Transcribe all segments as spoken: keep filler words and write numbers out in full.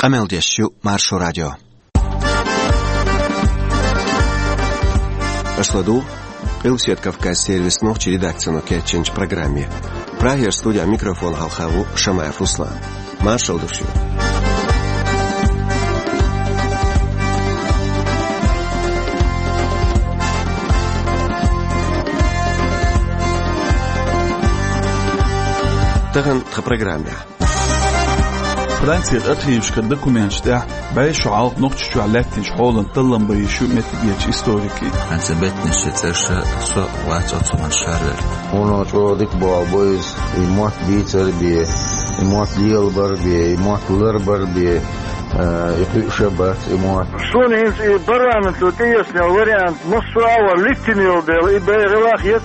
Къамел деш ю Маршо радио. Аша ладугӀу Къилбаседа Кавказан сервисан нохчийн редакцино кечйинчу программе. Прагера студехь микрофон хьалха ву Шамаев Руслан. Маршалла ду шуьга. Тахана тхан программехь. Францин архивашкара документаш тӀехь бӀе шо хьалха Нохчийчохь лаьттинчу хьолан таллам бан йиш ю меттигерчу историкийн. Хьан ца беттанаш ши цӀерша со вац оцу хӀуманна шарвер. Хьуна чӀогӀа дика боху бо иза, и мотт бийцар бен, и мотт лелабар бен, и мотт ларбар бен, а, и кхуьуш а бац и мотт. Суна хӀинца и парламенто тӀеэцна вариант массо а вар литтина йолу дела, и бен гӀиллакх яц.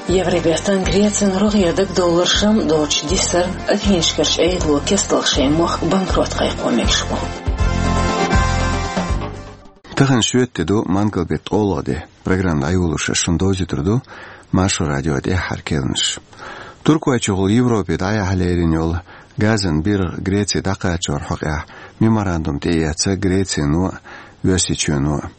Евробертан Грецин рогӀера дагадовларшна доцуш дисар Афинашкарчу Ӏедало кестта шайн мохк банкрот кхайкхо мегаш бу. Тахана шоьтан де ду, мангал беттан ткъолгӀа де. Программа дӀайолош ас шуна довзуьйтур ду Маршо радион тӀаьххьара керланаш. Туркойчухула Европе дӀаяхьа лерина йолу газан биргӀа Греце дӀакхачорна хьокъехь меморандум тӀеэцна Грецин а, Оьрсийчоьнан а.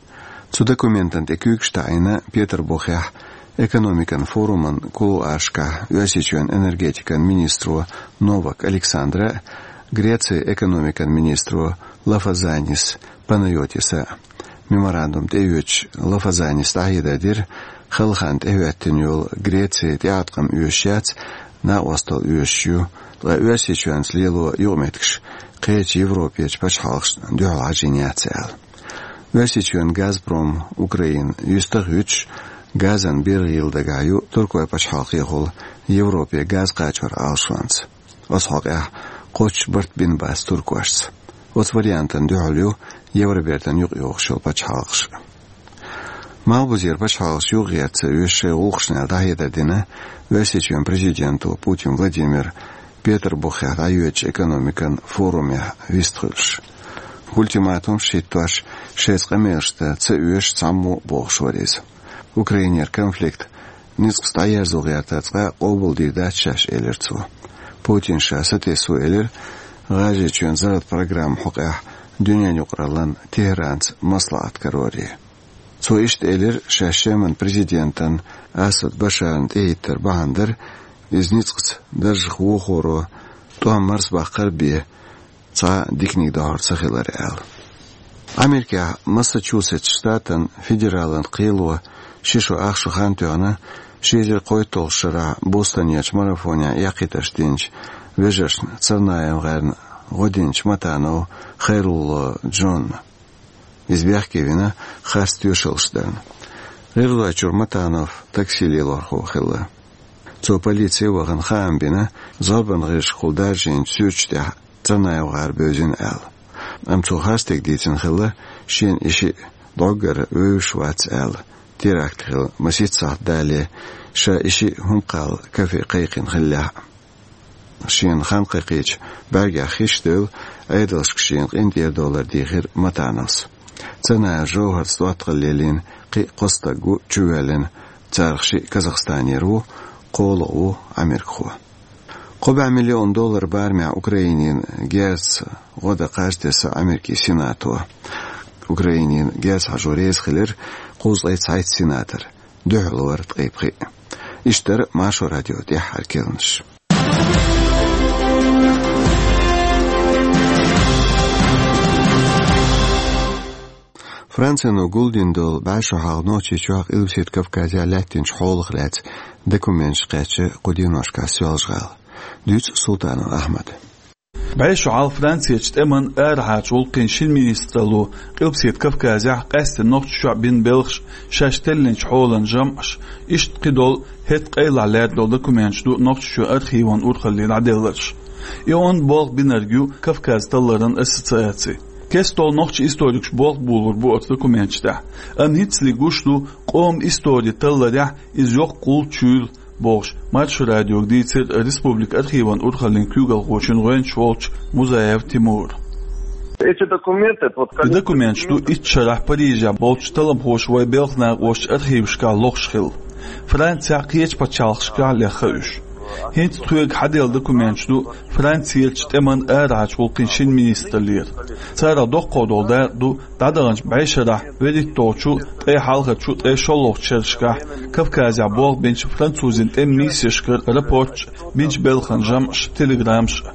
Цу документана тӀе куьйгаш таӀийна Петарбухехь экономикан форуман кулуаршкахь Оьрсийчоьнан энергетикан министро Новак Александра а, Грецин экономикан министро Лафазанис Панайотиса а. Меморандум тӀеоьцуш Лафазанис дӀахьедар дира, хала хан тӀехӀоьттина йолу Греци тӀеӀаткъам оьшуш яц накъосталла оьшуш ю, ткъа Оьрсийчоьнца лело юкъаметтигаш кхечу Европерчу пачхьалкхашна дуьхьал хьажийна яц аьлла. Оьрсийчоьнан Газпром Украина юьстах а юьтуш, газан биргӀа йилла дагахь ю Туркойн пачхьалкхехула Европе газ кхачоран Ӏалашонца. Оцу хьокъехь кхоччуш барт бина бац туркошца. Оцу вариантана дуьхьал ю Евробертана юкъайогӀуш йолу пачхьалкхаш. Малхбузера пачхьалкхаш юхагӀерта ца оьшу шайн гӀуллакхашна аьлла дӀахьедар дина Оьрсийчоьнан президенто Путин Владимира Петарбухехь дӀайоьдучу экономикан форумехь вистхуьлуш. Ультиматумаш хӀиттош, шайца къамелаш дан ца оьшу цхьаммо а бохуш вара иза. Украинера конфликт ницкъаца дӀаерзо гӀертарца къа къобалдийр дац шаьш, элира цо. Путина ша сатесво элира, ГӀажарийчоьнан зарратан программан хьокъехь дуьненан юкъараллина Тегеранца маслаӀат кароре. Цо иштта элира, шаьш Шеман президентан Асад Башарна тӀехӀиттар бахьана дара, иза ницкъаца даржах вохоро тӀом марсабаккхар бен цхьа диканиг дохьур ца хилар аьлла. Америкехь Массачусетс штатан федералан кхело ши шо ах шо хан тоьхна, ши эзар кхойтталгӀачу шарахь Бостонерчу марафонехь эккхийтарш динчу вежаршна Царнаевн гӀарна гӀо динчу Матанов Хайрулло Джонна. Иза бехке вина харц тоьшаллаш дарна. ГӀиргӀазойчуьра Матанов такси лелорхо хилла. Цо полице вахана хаам бина, зорбанан гӀирсашкахула даржийначу суьрташ тӀехь Царнаевн гӀар бевзина аьлла. Амма цо харцдерг дийцина хилла, шена и шиъ дӀоггара вевзаш вац аьлла, теракт хилла масийтта сахьт далале, ша и шиъ хӀума кхалла кафе кхайкхина хиллехь а. Шена хан кхайкхийча бӀаьргех хиш а девлла, Ӏедалшка шена къинтӀера довлар дийхира Матановс. Царнаев ЖовхӀарца доттагӀалла лелийна кхин а кхо стаг ву чувоьллина, царах шиъ Казахстанера ву, кхоалгӀа ву америкахо. Кхо бӀе миллион доллар барамехь Украинина герзаца гӀо дан кхаж тесна Америкин Сенато. Украинина герз хьажо реза хилира кхузткъе цхьайтта сенатор, дуьхьал вара ткъе пхиъ. Иштта дара Маршо радион тӀаьххьара керланаш. Францино гулдина долу бӀе шо хьалха Нохчийчохь, Къилбаседа Кавказехь лаьттинчу хьолах лаьцна документаш кхаьчна кху деношкахь Соьлжа-ГӀала. Дуьйцу Султанов Ахьмада. БӀе шо хьалха Францерчу тӀеман арахьарчу гӀуллакхийн шина министралло Къилбаседа Кавказехь, къаьсттина Нохчийчохь бина белхаш шаьш теллинчу хьолан жамӀаш, иштта кхидолу хӀетахь къайлахь лаьрна долу документаш ду Нохчийчоьнан архиван урхалле дӀаделларш. И онда болх бинарг ю Кавказ талларан ассоциаци. Кестта нохчийн историкаш болх болор бу оцу документаш тӀехь. Амма хӀинцале гуш ду, къоман истори талларехь иза йоккха гӀулч юйла, бохуш, Маршо радиога дийцира республикан архиван урхаллин куьйгалхочун гӀоьнча волчу Музаев Тимура. Эти документы под... И документаш ду итт шарахь Парижехь болчу талламхоша вайн белхан накъостийн архивашкахь лохуш хилла. Францехь, кхечу пачхьалкхашкахь лехна уьш. ХӀинца тхоьга хьаделла документаш ду Францерчу тӀеман арахьарчу гӀуллакхийн шина министраллера. Царах доккхах долу дакъа ду дӀадаханчу бӀешарахь берхӀитталгӀачу, ткъе хьалхарчу, ткъе шолгӀачу шерашкахь Кавказехь болх бинчу французийн тӀеман миссешкара рапорташ а, бинчу белхан жамӀаш а, телеграммаш а.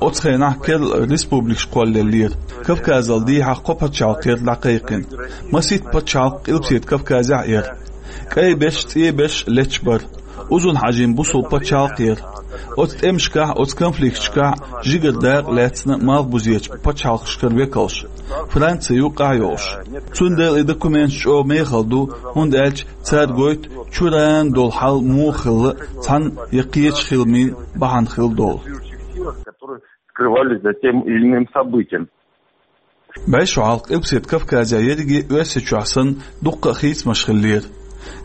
Оцу хенахь керла республикаш кхоллаеллера, Кавказал дехьа кхо пачхьалкх яра дӀакхайкхина. Масийтта пачхьалкх Къилбаседа Кавказехь а яра. КӀай берш, цӀен берш леташ бара. Узун-Хьаьжин бусалба пачхьалкх яра. Оцу тӀемашкахь, оцу конфликташкахь жигара дакъа лаьцна малхбузечу пачхьалкхашкара векалш, Франци юккъехь а йолуш. Цундела и документаш чӀогӀа мехала ду, хӀунда аьлча цара гойту чуьран долу хьал муха хилла, цхьана я кхечу хиламийн бахьана хилла долу. Скрывались за тем или иным событием. БӀе шо хьалха Къилбаседа Кавказехь ерриге а Оьрсийчохь санна дуккха а хийцамаш хиллера.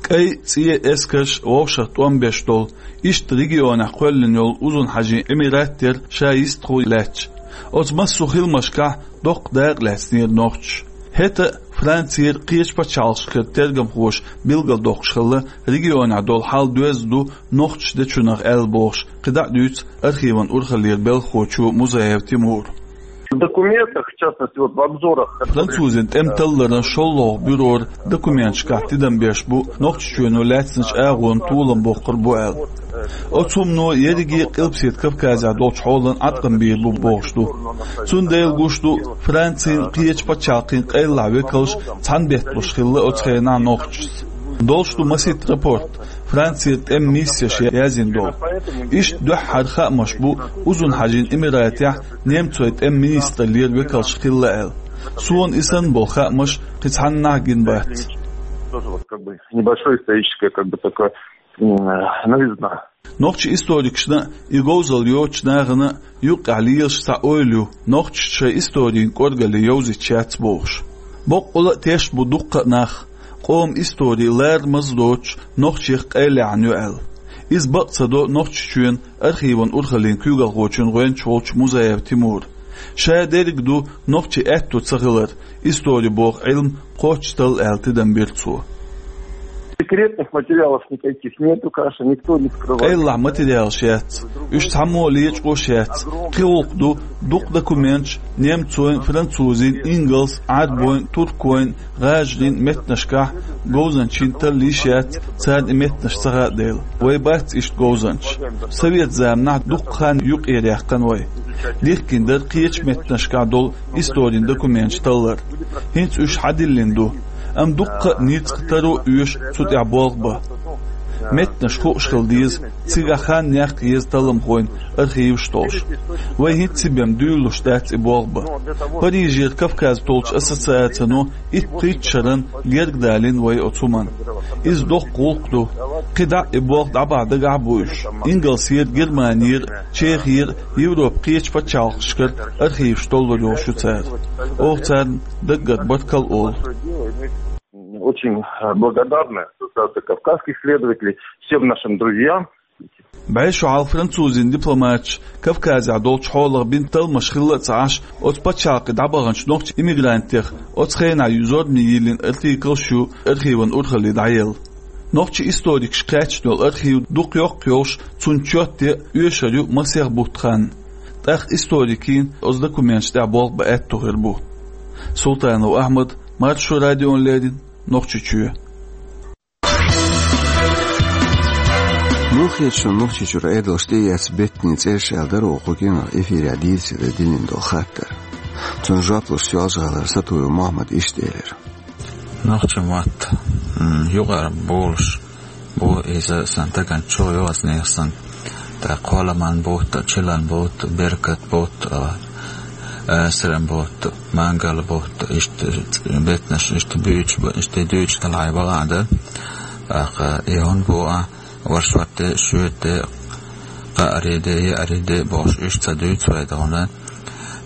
КӀай, цӀен эскарш вовшах тӀом беш долу, иштта регионехь кхоьллина йолу Узун-Хьаьжин Эмират яра ша йистхула лаьтташ. Оцу массо а хиламашкахь доккха дакъа лаьцнера нохчаша. ХӀета а Францера, кхечу пачхьалкхашкара тергамхоша билгалдоккхуш хилла, регионехь долу хьал доьзна ду нохчаша дечунах аьлла бохуш, кхидӀа а дуьйцу архиван урхаллера белхахочо Музаев Тимура. В документах, в частности, вот в обзорах, которые... Французийн тӀеман талларан шолгӀа бюрора документашкахь тидам беш бу Нохчийчоьно лаьцначу агӀонна толам боккхур бу аьлла. Оцу хӀумано ерриге а Къилбаседа Кавказехь долчу хьолан Ӏаткъам бийр бу бохуш ду. Цундела гуш ду, Францин, кхечу пачхьалкхийн къайлахь векалш цхьаьна бетталуш хилла оцу хенахь нохчашца. Долуш ду масийтта рапорт, Францера тӀеман миссеша яздина долу. Иштта дуьххьара хаамаш бу Узун-Хьаьжин Эмиратехь немцойн тӀеман министраллера векалш хилла аьлла. Суна и санна болу хаамаш кхин цхьаннахьа гина бац. Тоже вот как бы небольшое историческое, как бы такое, м, новизна. Нохчийн историкашна а, и говзалла йоцучу нахана а юккъехь лелаш цхьа ойла ю, нохчашна шайн историн кӀоргалле йовзуьйтуш яц бохуш. Боккъала а тешна бу дуккха а нах, къоман истори ларамаза доцуш нохчех къайлаяьхьна ю аьлла. Иза бакъ ца до Нохчийчоьнан архиван урхаллин куьйгалхочун гӀоьнча волчу Музаев Тимура. Ша дерг а ду нохчийн аьтто ца хилар, истори боху Ӏилма кхоччуш талла аьлла тидам бира цо. Секретных материалов никаких нету, конечно, никто не скрывает. Къайлахь материалаш яц, уьш цхьаммо а лечкъош яц. Кхин гӀуллакх ду, дукха документаш немцойн, французийн, ингалс, Ӏарбойн, туркойн, гӀажарийн меттанашкахь говзанчийн талла йиш яц, царна и меттанаш ца хаьа дела. Вай бац иштта говзанчаш. Совет заманахь дуккха хан юкъера яьккхина вай. Дихкина дара кхечу меттанашкахь долу историн документаш таллар. ХӀинца уьш хьадиллина ду. Амма дуккха а ницкъ таро а оьшу цу тӀехь болх бан. Меттанаш хууш хила деза, цигахь хан яккха еза талламхойн архиваш а толуш. Вай хӀинцца бен дуьйлалуш дац и болх бан. Парижера Кавказ толчу ассоциацино итт-пхийтта шаран герга далийна вай оцу хӀуманна. Иза доккха гӀуллакх ду. КхидӀа а и болх дӀабахьа дагахь а бу уьш. Ингалсера, Германера, Чехера, Европан кхечу пачхьалкхашкара архиваш толлур йолуш ю цара. Оха царна даггара баркалла олу. Очень благодарны Ассоциации кавказских исследователей, всем нашим друзьям. БӀе шо хьалха французийн дипломаташа Кавказехь долчу хьолах бина талламаш хилла а ца Ӏаш, оцу пачхьалкхе дӀабаханчу нохчийн иммигрантех оцу хенахь зорбане йиллина артиклаш ю архиван урхалле дӀаелла. Нохчийн историкаша кхаьчна йолу архив дукха йоккха йолуш, цунна чот ян оьшур ю масех бутт хан. ТӀаккха историкийн оцу документаш тӀехь болх бан аьтто хир бу. Султанов Ахьмад, Маршо радиона леррина, Нохчийчоь. Муха хета шуна Нохчийчуьра Ӏедалша тӀеэцна беттанийн цӀераш аьлла дара оха кху кӀиранах эфирехь дийцаре диллина долу хаттар? Цунна жоп луш Соьлжа-ГӀалара Сатуев Мохьмада иштта элира. Нохчийн мотт, м, юкъара болуш бу иза сан дагна чу йоцу нехан сан. ТӀаккха Кхоаламан бутт, Чиллан бутт, Беркат бутт, а, Асран бутт, Мангал бутт, иштта беттанаш, иштта буьйцуш ба, иштта дуьйцуш далахь бакъ а дара. ТӀаккха и хӀун бу а, ворхӀ шортта, шоьтта, кхаарийта, еарийта бохуш, уьш ца дуьйцу вай тхуна.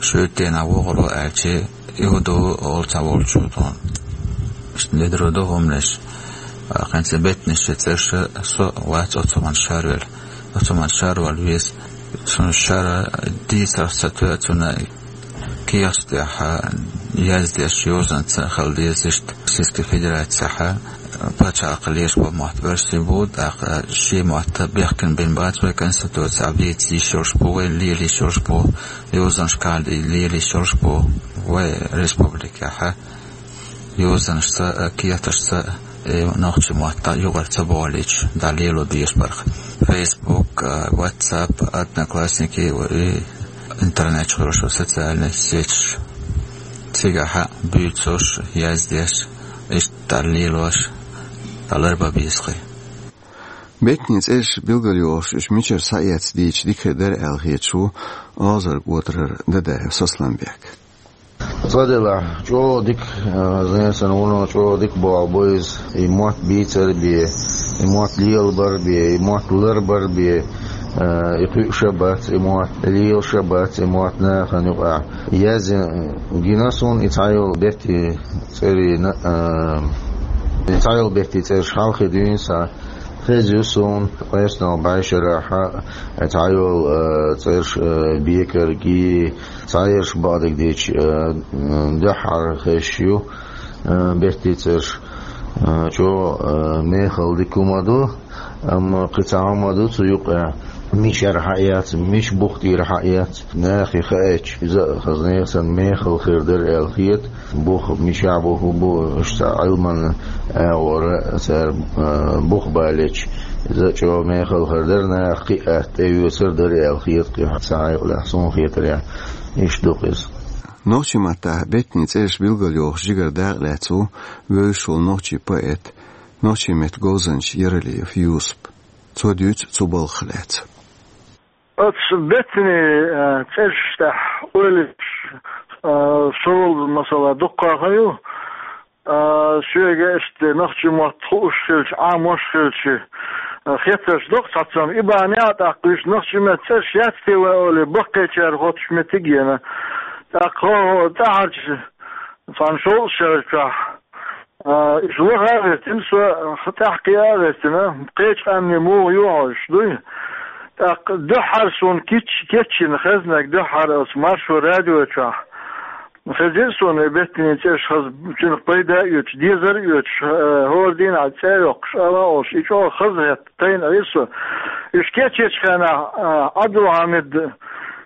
Шоьтта дийнахь вогӀур ву аьлча, и хӀун ду олу цхьаволчо тхуна. Иштта ледара ду хӀуманаш. ТӀаккха хӀинца беттанаш шен цӀераш со вац оцу хӀуманна шарвелла. Оцу хӀуманна шарвала веза. Цунна шара дийцарш ца тоьа, цунна кехаташ тӀехь яздеш йозанца хила деза иштта Российской Федерацехь. Пачхьалкх леш бо мотт берсий бу, тӀаккха ши мотт бехкан бен бац вай конституци, а бийца йиш йолуш бу, вай лелийш йолуш бу, йозанаш кхалда лелийш йолуш бу вай республикехь. Йозанашца а, кеташца а, э, нохчийн мотт юкъара ца бохуьйтуш, дӀа лело безаш барх. Facebook, а, WhatsApp, Одноклассники, и интернет чуьра йолуш социальный сеташ. Цигахь а буьйцуш, яздеш, иштта дӀа лелош, дӀа ларбан беза кхин. Беттанийн цӀераш билгалйохуш, уьш мичара схьаэцна дийцича дика хир дара аьлла хеташ ву Озарг-Отарара Дадаев Сосланбек. Цкъа делахь, чӀогӀа дика, а, зен сан вуно чӀогӀа дика боху бу иза. И мотт бийцар бен, и мотт лелабар бен, и мотт ларбар бен, а, и кхуьуш а бац, и мотт лелаш а бац, и мотт нахана юкъахь. Язйина гина суна и цхьайолу беттийн цӀерийн, а, и цхьайолу беттийн цӀераш хьалхе дуьйна сан. Хезна ю суна, къаьсттина бӀешарахь а, цхьайолу, а, цӀераш, а, бекарг, и цхьаерш бакъдерг дийцича, а, дуьххьара хезаш ю, а, беттийн цӀераш, а, чӀогӀа, а, мехала дика хӀума ду, амма кхин цхьа хӀума ду цу юкъахь, мичара хьаэц, мича бух тӀера хьаэц, нахе хаьттича, иза а хаза нехан санна мехала хир дара аьлла хета. Бух мичахь бу, хӀун бу, уьш цхьа Ӏилманан агӀора цара, а, бух балийча, иза а чӀогӀа мехала хир дара, наха кхин а атта тӀеоьцур дара аьлла хета кхин цхьа хьекъалехь, суна хетарехь, иштта ду-кх иза. Нохчийн маттахь беттанийн цӀераш билгалйохуш жигара дакъа лаьцна ву вевзаш волу нохчийн поэт, нохчийн меттан говзанча Яралиев Юсуп. Цо дуьйцу цу балхах лаьцна. Оцу беттанийн, а, цӀераш тӀехь ойла йича, а, со волу, масала, дуккха а хан ю, а, соьга иштта нохчийн мотт хууш хилча, Ӏамош хилча, а, хеттарш доккху цхьацца, и бахьанехь а тӀаккха уьш нохчийн меттан цӀераш яц те вай олий, баккхийчара хоттуш меттиг а йина. ТӀаккха хӀо-, хӀо-, тӀаьхьарчу цхьана шовзткъа шарчохь, а, уьш лаха а гӀиртина, со тӀаьхьакхиа а гӀиртина, кхечу къаьмнийн муха ю хьожуш дуй. ТӀаккха дуьххьара суна кич-, кечйина хезнарг дуьххьара оцу Маршо радио чохь. Хезира суна и беттанийн цӀераш хаза, цуьнах пайда а оьцуш, дезар а оьцуш, а, хӀора дийнахь цӀа а йоккхуш, ала а олуш, и чӀогӀа хазахетта тайна Ӏийра со. Уьш кечйинчу хенахь, а, Ӏабдулхьамид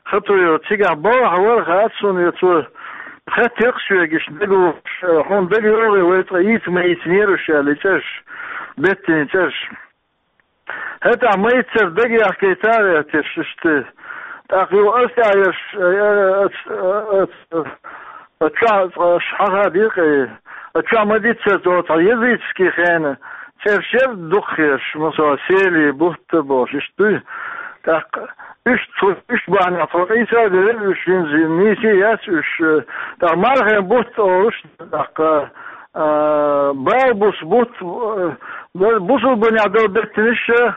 Хатуев цигахь балхахь вара, хаьа суна, я цо хаьттира-кх соьга, иштта дагавогӀуш, хьуна дага йогӀий вай цкъа йийца ма йийцинера уьш аьлла, и цӀераш, беттанийн цӀераш. ХӀетахь ма йиццара дагаяхкийта а гӀерташ, иштта. ТӀаккха юха ас тӀаьхьа ерш, а, а, а, а, а, чохь, а, аш хьахадийра-кх, а, чохь ма диццара цо цхьа языческий хенан цӀераш яра дукхахьерш, масала, Сели, Бутта бохуш, иштта дуй. ТӀаккха уьш цу, уьш бахьанехь тхо къийса а девлла, уьш хӀинца нийса а яц уьш, э, тӀаккха Мархин Бутт олуш, тӀаккха, э, Балбус Бутт, э, бусулбанехь долу беттанаш а,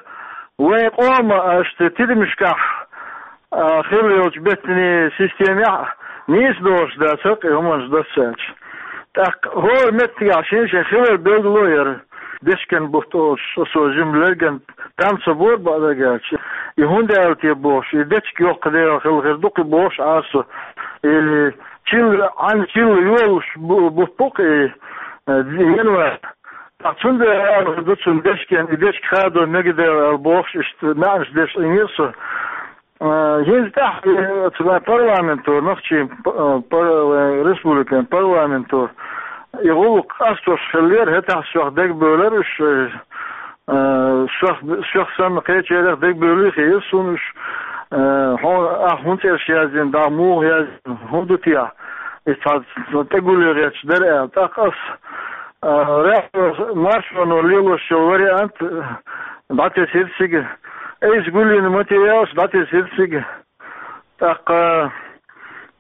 вайн къоман, иштта, тидамашкахь, а, хилла йолчу беттанийн системехь а нийса долуш дац-кх и хӀуманаш доссаьлча. ТӀаккха хӀора меттигехь шен-шен хилар билгало яра. Дечкен Бутт олуш, со, со жимма лерган там ца бора, бакъдерг аьлча. И хӀунда аьлла те бохуш, и дечка йоккха дела хилла хир ду-кх и бохуш Ӏара со. И чилла, Ӏан чилла йолуш бу-, бутт бу-кх и, э, январь. ТӀаккха цундела аьлла хир ду цунна дечкен, и дечка хадо мегадела аьлла бохуш, иштта маьӀнаш деш Ӏийнера со. А, хӀинца тӀаьхьа, э, оцу вайн парламенто, нохчийн п-, э, пар-, вайн республикан парламенто, и гӀуллакх къастош хиллера, хӀетахь сох дагабевлира уьш, э, э, сох, сох санна кхечарех дагабевлий хиира суна уьш, э, хьо-, ахь хӀун цӀераш яздина, дӀа муха яздина, хӀун ду техьа? И цхьа тӀегулле гӀерташ дара аьлла. ТӀаккха ас, э, радио Маршоно лелош йолу вариант, э, дӀатесира цига. Айса гулйина ма те аьлча, дӀатесира цига. ТӀаккха,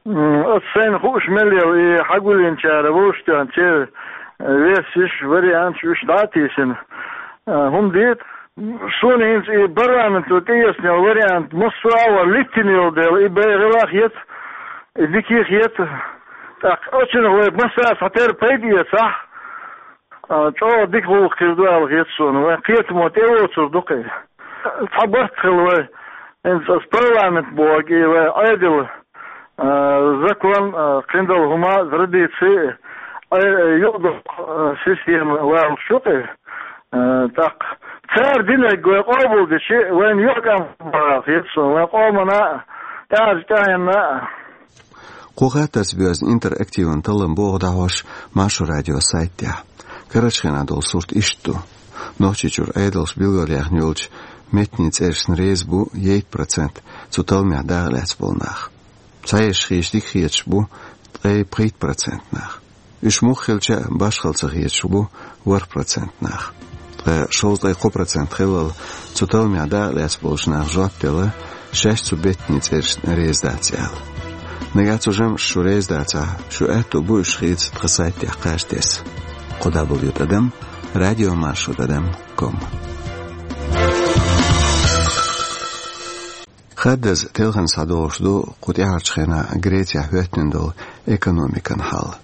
м, оцу сайна хууш мел яла и хьагулйинчара вовшахтоьхна церан версеш, варианташ уьш дӀа а тийсина, а, хӀума дийта. Суна хӀинца и парламенто тӀеэцна йолу вариант массо а вара литтина йолу дела, и бегӀийла а хета, и дика а хета. ТӀаккха оцунах вай массара а цхьатерра пайда эцахь, а, чӀогӀа дика гӀуллакх хир ду аьлла хета суна. Вайн кхетамо тӀевоцур ду-кх и. Цхьа барт хилла вай. ХӀинца аса парламент бохург и вай Ӏедал, а, закон, а, кхин долу хӀума, традици, а, юкъадоккху, а, система лоруш ю-кх и. Э, тӀаккха цара динарг вай къобалдича, вайна юкъа кӀам бахьа хета суна, вайн къомана а, тӀаьхьарчу тӀаьхьенна а. Кху хаттарца боьзна интерактиван таллам богӀу дӀахьош Маршо радион сайта тӀехь. Карарчу хенахь долу сурт иштта ду. Нохчийчуьра Ӏедалша билгалъяьхна йолчу меттанийн цӀерашна реза бу ейтта процент цу талламехь дакъа лаьцна болу нах. Цхьаерш хеташ дика хеташ бу ткъе пхийтта процент нах. Уьш муха хилча а башхалла ца хеташ бу ворхӀ процент нах. Ткъа шовзткъе кхо процент хиллал цу талламехь дакъа лаьцна болчу наха жоп делла, шаьш цу меттанийн цӀерашна реза дац аьлла. Нагахь цу жамӀашна шу реза дацахь, шун аьтто бу уьш хийца тхан сайта тӀехь кхаж тесна. Кхо дабл ю тӀадам радиомаршо тӀадам ком. Хаддаза телхина схьадогӀуш ду кху тӀаьхьарчу хенахь Грецехь хӀоьттина долу экономикан хьал.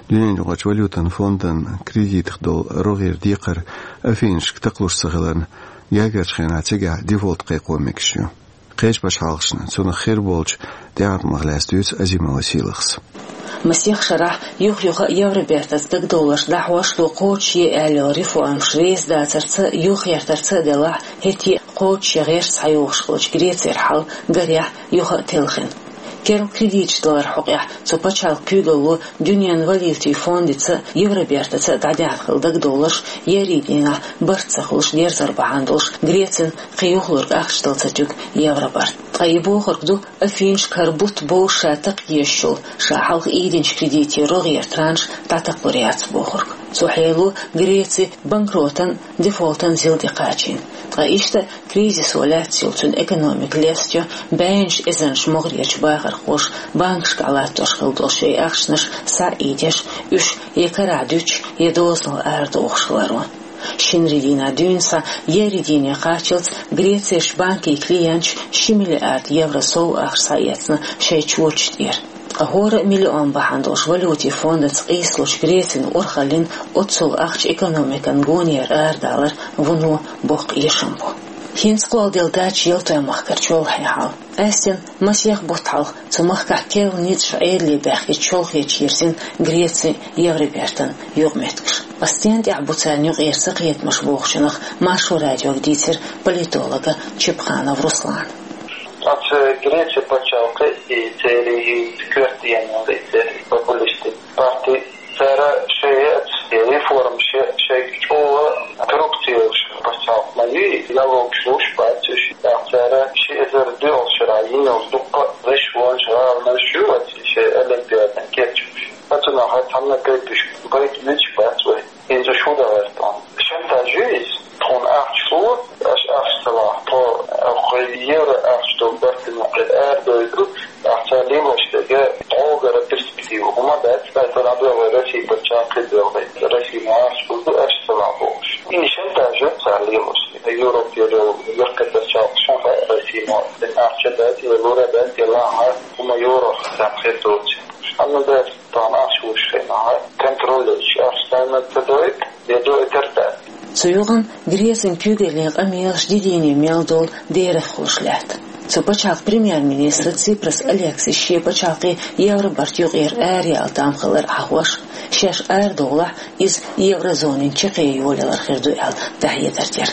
Дуьненаюкъарчу валютан фондан кредитах долу рогӀера декхар Афинашка такхалуш ца хиларна, гергарчу хенахь цигахь дефолт кхайкхо мегаш ю. Кхечу пачхьалкхашна цунах хир болчу тӀеӀаткъамах лаьцна дуьйцу Азимова Сийлахьас. Масех шарахь юх-юха а Евробертаца дагадовларш дӀахьош а, кхочушъе аьлла йолу реформаш реза дацарца а, юхагӀертарца а делахь, хӀетте а кхочушъян гӀерташ схьайогӀуш хиллачу Грецера хьал гарехь юха а телхина. Керла кредиташ даларан хьокъехь цу пачхьалкхан куьйгалло Дуьненан валютийн фондица а, Евробертаца а дӀадаьхна хилла дагадовларш еарин дийнахь барт ца хуьлуш дерзор бахьана долуш, Грецина кхин юхалург ахча дала ца туьгу Евробарт. Ткъа и бохург ду, Афинашка хӀара бутт бовзуш ша такха езаш йолу, ша хьалха ийдинчу кредитийн рогӀера транш дӀатакхалур яц бохург. Цу хьело Греци банкротан, дефолтан зил де кхачийна. Ткъа иштта кризисо лаьцна йолу цуьнан экономика лестайо бӀеннаш эзарнаш могӀарерчу бахархоша банкашкахь латтош хилла долу шайн ахчанаш схьа а ийдеш, уьш я карахь дуьтуш, я дозанал арадохуш хиларо. Шинарин дийнахь дуьйна схьа еарин дийне кхаччалц Грецерчу банкийн клиенташа ши миллиард евро сов ахча схьаэцна шайн чочаш тӀера. Ткъа хӀора а миллион бахьана долуш валютийн фондаца къийсалучу Грецина урхаллин оццул ахча экономикан гонера арадалар вуно боккха эшам бу. ХӀинца кхолладелла дац ялтойн махкара чолхе хьал. Къаьстина масех бутт хьалха цу махкахь керла ницкъаша Ӏедале баьхкича чолхечу йирзина Грецин Евробертан юкъаметтигаш. Ткъа стенна тӀехь бу царна юкъера цакхетамаш бохучунах Маршо радиога дийцира политолога Чепханов Руслана. Оцу Грецин пачхьалкхе и церан и коьртаненан, и церан популистийн парти, цара шайн яц, и реформаш яц, шайга чӀогӀа коррупци йолуш пачхьалкх ма ю, налогаш луш бац уьш. ТӀаккха цара ши эзар доьалгӀачу шарахь йина йолу дуккха а вешан вонаш, гӀаланаш ю оцу шайн олимпиадан кечамаш. Оцунах цхьанна гайташ, гайта мегаш бац вай. ХӀинца шу дан гӀерта хьуна. Шантаж ю иза. Тхуна ахча ло, аша ахча ца лахь, тхо, кху евро ахча долу барт ма кхин арадойду, ахча лелош дерг тхьогара перспектива хӀума дац, ткъа тхуна а дуьйла Россия пачхьалкх кхидӀа ваьлла, Россия ма ахча хӀума ду, аша ца лахь бохуш. И шантаж ю цара лелош. Европера йолу яккхий пачхьалкхашна хаьа, Россия ма ахча дац, я лур дац, я лахь, хӀума евро царна хир доцу. Амма дац. Тахана ахча луш хенахь, контроль йича ахча царна ца дойту, я дойтар дац. Цу юкъана Грецин куьйгаллин къамелаш дийне мел долу дерах хуьлуш лаьтта. Цу пачхьалкхан премьер-министра Ципрас Алексиса шен пачхьалкхе Евробарт юкъера араяла там хилар хьахош, шаьш арадовлахь, иза еврозонин чаккхе йолаялар хир ду аьлла дӀахьедар дира.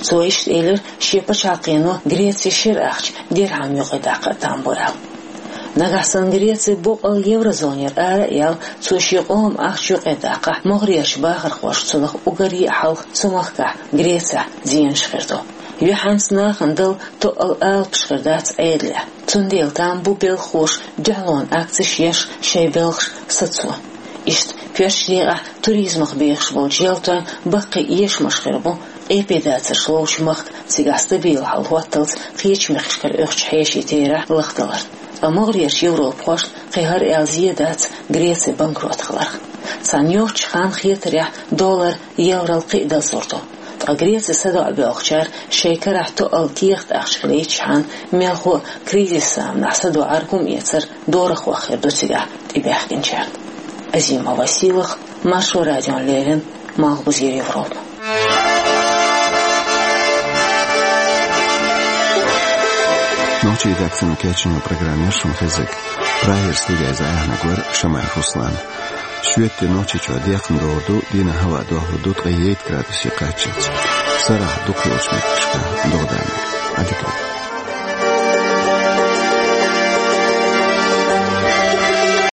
Цо иштта элира, шен пачхьалкхено Грецин шира ахча дирхьам юкъадаккха а там бу аьлла. Нагахь санна Греци боккъал еврозонера ара а яьлла, цо шен къоман ахча юкъадаккхахь, могӀарерчу бахархоша цунах уггаре а хьалха цу махкахь, Грецехь, зенаш хир ду. Юьхьанца нахана дала тоъал алапаш хир дац Ӏедалехь. Цундела там бу белхахоша дуьхьалонан акцеш еш шайн белхаш сацо. Иштта коьртачу декъехь туризмах бехаш болчу ялтойн баккхий эшамаш хир бу, къепедацарш ловчу махка цигахь стабил хьал хӀотталц кхечу мехкашкара оьхучу хьешийн терахь лахдалар. Ткъа могӀарерчу европахошна кхин хӀара аьлла зен дац Греци банкрот хиларх. Цхьана йоцчу ханна хетарехь доллар еврал кхин а дазлур ду. Ткъа Греци садоӀа боьлхучара шайн карахь тоъал кехат ахча хилийтчхьана, мелхо а кризис заманахь садоӀар хӀума эцар дорахох хир ду цигахь тӀебаьхкинчарна. Азимова Сийлахь, Маршо радиона леррина, Малхбузера Европа. Нохчийн редакцино кечйинчу программера шуна хезнарг. Прагера студера иза Ӏехнарг вара Шамаев Руслан. Швеце Нохчийчохь декхна догӀур ду, дийнахь хӀаваъ дохлур ду ткъе итт градусе кхаччалц. Сарахь дукхахйолчу меттигашкахь догӀа дан. Ӏадика.